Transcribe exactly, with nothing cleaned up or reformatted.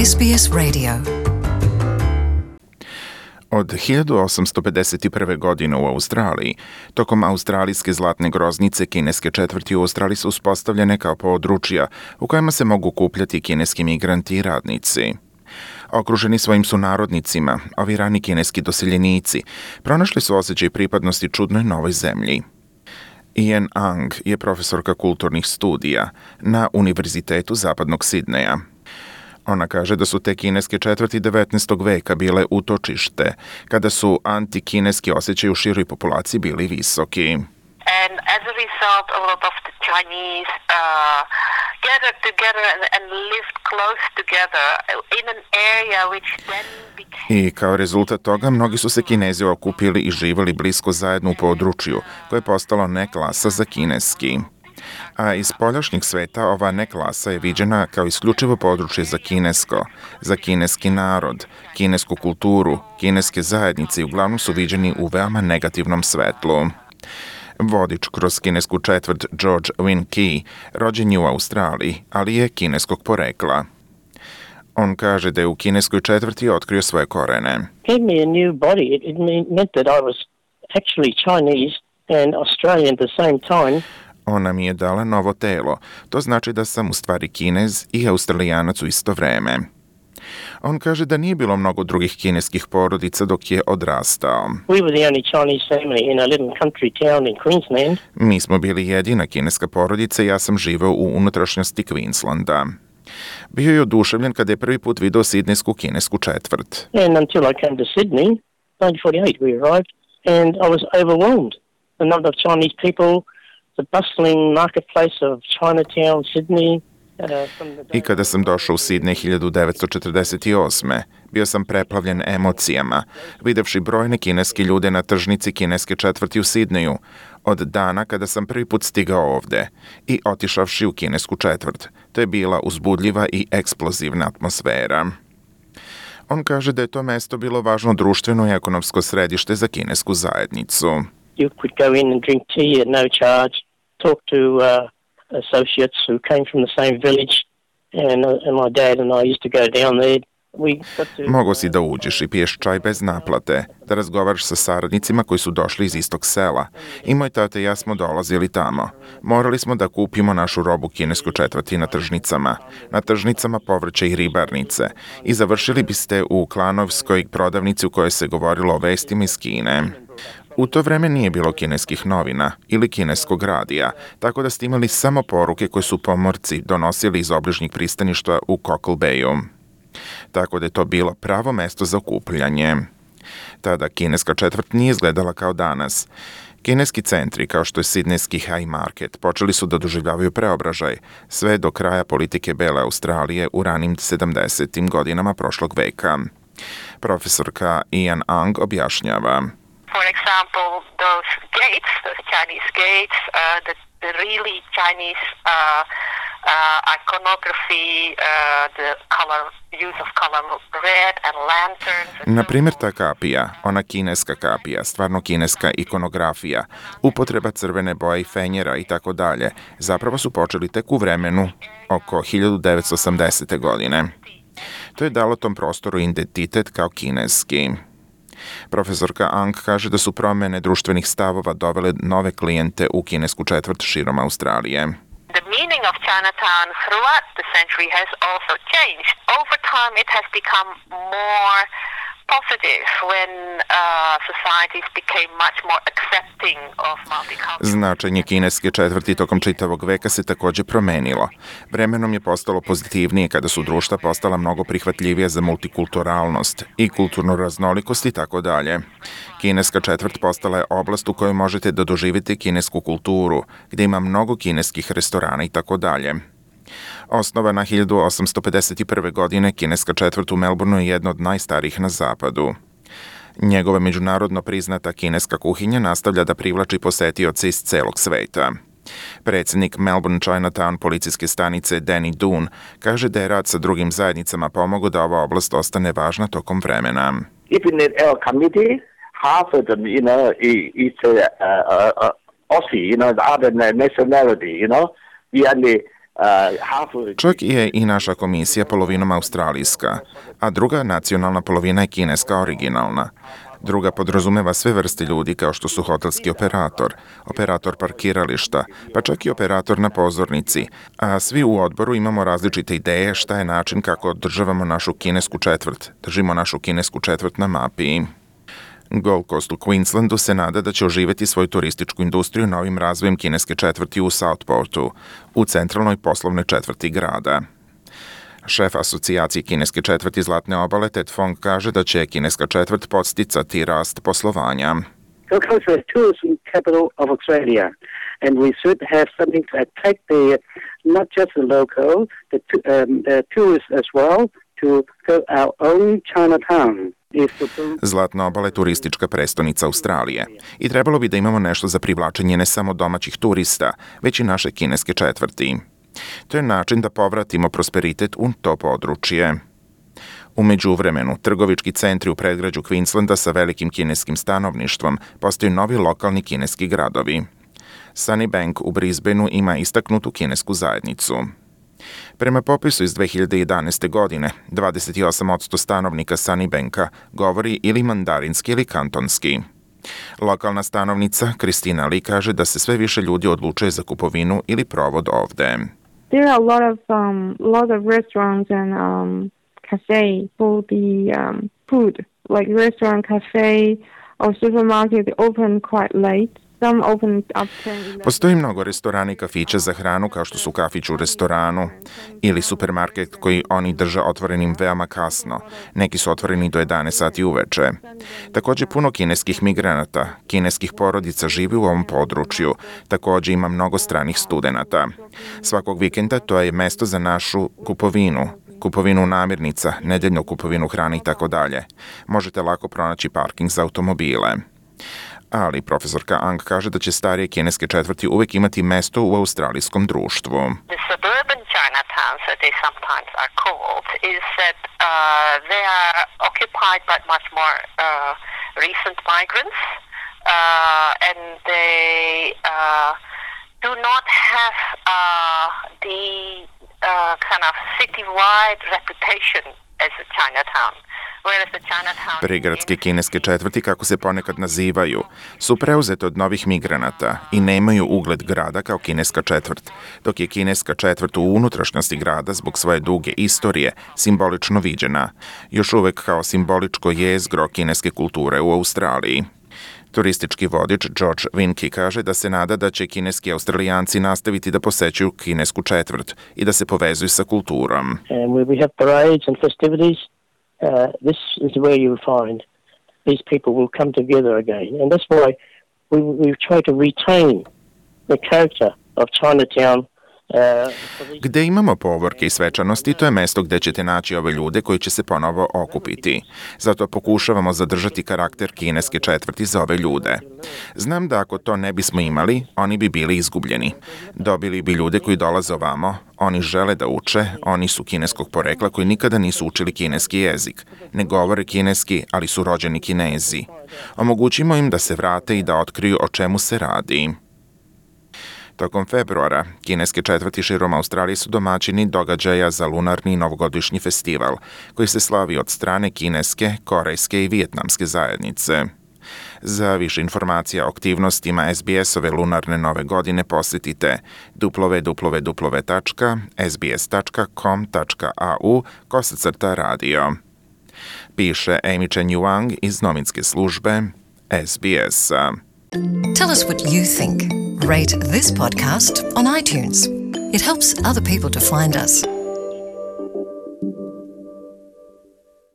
S B S Radio. Od hiljadu osamsto pedeset prve. godine u Australiji, tokom australijske zlatne groznice, kineske četvrti u Australiji su uspostavljene kao područja u kojima se mogu okupljati kineski migranti i radnici. Okruženi svojim sunarodnicima, ovi rani kineski doseljenici pronašli su osjećaj pripadnosti čudnoj novoj zemlji. Ian Ang je profesorka kulturnih studija na Univerzitetu Zapadnog Sidneja. Ona kaže da su te kineske četvrti devetnaestog veka bile utočište, kada su antikineski osjećaj u široj populaciji bili visoki. And as a result, a lot of the Chinese uh, gathered together and, and lived close together in an area which then became... I kao rezultat toga, mnogi su se Kinezi okupili i živjeli blisko zajedno u području, koje je postalo neklasa za kineski. A iz spoljašnjeg sveta ova neklasa je viđena kao isključivo područje za kinesko, za kineski narod, kinesku kulturu, kineske zajednice i uglavnom su viđeni u veoma negativnom svetlu. Vodič kroz kinesku četvrt George Win Key rođen je u Australiji, ali je kineskog porekla. On kaže da je u kineskoj četvrti otkrio svoje korene. Gave me a new body. It meant that I was actually Chinese and Australian at the same time. Ona mi je dala novo telo. To znači da sam u stvari Kinez i Australijanac u isto vreme. On kaže da nije bilo mnogo drugih kineskih porodica dok je odrastao. We were the only Chinese family in a little country town in Queensland. Mi smo bili jedina kineska porodica i ja sam živeo u unutrašnjosti Queenslanda. Bio je oduševljen kada je prvi put video sidnejsku kinesku četvrt. And until I came to Sydney, nineteen forty-eight we arrived, and I was overwhelmed. The number of Chinese people, the bustling marketplace of Chinatown, Sydney. I kada sam došao u Sidnej hiljadu devetsto četrdeset osme. bio sam preplavljen emocijama, videvši brojne kineske ljude na tržnici kineske četvrti u Sidneju, od dana kada sam prvi put stigao ovde i otišavši u kinesku četvrt. To je bila uzbudljiva i eksplozivna atmosfera. On kaže da je to mesto bilo važno društveno i ekonomsko središte za kinesku zajednicu. You could go in and drink tea at no charge, talk to uh, associates who came from the same village, and, uh, and my dad and I used to go down there. Mogo si da uđeš i piješ čaj bez naplate, da razgovaraš sa saradnicima koji su došli iz istog sela. I moj tata i ja smo dolazili tamo. Morali smo da kupimo našu robu kineskoj četvrti na tržnicama, na tržnicama povrća i ribarnice. I završili biste u klanovskoj prodavnici u kojoj se govorilo o vestima iz Kine. U to vreme nije bilo kineskih novina ili kineskog radija, tako da ste imali samo poruke koje su pomorci donosili iz obližnjih pristaništa u Cockle Bayu. Tako da je to bilo pravo mesto za okupljanje. Tada kineska četvrt nije izgledala kao danas. Kineski centri, kao što je sidnejski High Market, počeli su da doživljavaju preobražaj, sve do kraja politike Bele Australije u ranim sedamdesetim godinama prošlog veka. Profesorka Ian Ang objašnjava. For example, those gates, those Chinese gates, uh, the, the really Chinese uh, uh, iconography, uh, the color, use of color red and lanterns. Na primjer, ta kapija, ona kineska kapija, stvarno kineska ikonografija, upotreba crvene boje i fenjera i tako dalje, zapravo su počeli tek u vremenu oko hiljadu devetsto osamdesete. godine. To je dalo tom prostoru identitet kao kineski. Profesorka Ang kaže da su promjene društvenih stavova dovele nove klijente u kinesku četvrt širom Australije. The meaning of Chinatown throughout the century has also changed. Over time it has become more positive when uh, societies became much more accepting of multicultural. Značenje kineske četvrti tokom čitavog veka se također promenilo. Vremenom je postalo pozitivnije kada su društva postala mnogo prihvatljivija za multikulturalnost i kulturnu raznolikost i tako dalje. Kineska četvrt postala je oblast u kojoj možete da doživite kinesku kulturu, gdje ima mnogo kineskih restorana i tako dalje. Osnovana hiljadu osamsto pedeset prve. godine, kineska četvrt u Melbourneu je jedna od najstarijih na zapadu. Njegova međunarodno priznata kineska kuhinja nastavlja da privlači posetioce iz celog sveta. Predsjednik Melbourne Chinatown policijske stanice Danny Doon kaže da je rad sa drugim zajednicama pomogao da ova oblast ostane važna tokom vremena. Even in our community, half of them, you know, is uh, uh, uh, Aussie, you know, the other nationality, you know. We only uh, half of Čak je i naša komisija polovinom australijska, a druga nacionalna polovina je kineska originalna. Druga podrazumeva sve vrste ljudi kao što su hotelski operator, operator parkirališta, pa čak i operator na pozornici, a svi u odboru imamo različite ideje šta je način kako održavamo našu kinesku četvrt, držimo našu kinesku četvrt na mapi. Gold Coast u Queenslandu se nada da će oživeti svoju turističku industriju novim razvojem kineske četvrti u Southportu, u centralnoj poslovnoj četvrti grada. Šef asocijacije kineske četvrti Zlatne obale Ted Fong kaže da će kineska četvrt podsticati rast poslovanja. Gold Coast is the tourism capital of Australia, and we should have something to attract the not just the local, the, um, the tourists as well, to go our own Chinatown. Zlatna obala je turistička prestonica Australije i trebalo bi da imamo nešto za privlačenje ne samo domaćih turista, već i naše kineske četvrti. To je način da povratimo prosperitet u to područje. U međuvremenu, trgovički centri u predgrađu Queenslanda sa velikim kineskim stanovništvom postaju novi lokalni kineski gradovi. Sunnybank u Brisbaneu ima istaknutu kinesku zajednicu. Prema popisu iz dve hiljade jedanaeste. godine, dvadeset osam posto stanovnika Sunnybanka govori ili mandarinski ili kantonski. Lokalna stanovnica Kristina Lee kaže da se sve više ljudi odlučuje za kupovinu ili provod ovde. There are a lot of um, lot of restaurants and um, cafes for the um, food, like restaurant, cafe, or supermarket open quite late. Some open up to Postoji mnogo restorana i kafića za hranu kao što su kafić u restoranu ili supermarket koji oni drže otvorenim veoma kasno. Neki su otvoreni do jedanaest sati uveče. Takođe puno kineskih migranata, kineskih porodica živi u ovom području. Takođe ima mnogo stranih studenata. Svakog vikenda to je mesto za našu kupovinu, kupovinu namirnica, nedeljnu kupovinu hrane i tako dalje. Možete lako pronaći parking za automobile. Ali profesorka Ang kaže da će starije kineske četvrti uvek imati mesto u australijskom društvu. The suburban Chinatowns, that they sometimes are called, is that uh, they are occupied by much more uh, recent migrants, uh, and they uh, do not have uh, the uh, kind of citywide reputation as a Chinatown. Prigradske kineske četvrti, kako se ponekad nazivaju, su preuzete od novih migranata i nemaju ugled grada kao kineska četvrt, dok je kineska četvrt u unutrašnjosti grada zbog svoje duge istorije simbolično viđena, još uvek kao simboličko jezgro kineske kulture u Australiji. Turistički vodič George Winke kaže da se nada da će kineski Australijanci nastaviti da posećuju kinesku četvrt i da se povezuju sa kulturom. And we have parades and festivities. Uh, this is where you will find these people will come together again. And that's why we, we try to retain the character of Chinatown. Uh, Gde imamo povorke i svečanosti, to je mesto gde ćete naći ove ljude koji će se ponovo okupiti. Zato pokušavamo zadržati karakter kineske četvrti za ove ljude. Znam da ako to ne bismo imali, oni bi bili izgubljeni. Dobili bi ljude koji dolaze ovamo, oni žele da uče, oni su kineskog porekla koji nikada nisu učili kineski jezik. Ne govore kineski, ali su rođeni Kinezi. Omogućimo im da se vrate i da otkriju o čemu se radi. Tokom februara, kineske četvrti širom Australije su domaćini događaja za lunarni i novogodišnji festival, koji se slavi od strane kineske, korejske i vijetnamske zajednice. Za više informacija o aktivnostima S B S-ove lunarne nove godine posjetite w w w tačka s b s tačka com tačka a u kosacrta radio. Piše Amy Chen Yuang iz novinske službe S B S-a. Tell us what you think. Rate this podcast on iTunes. It helps other people to find us.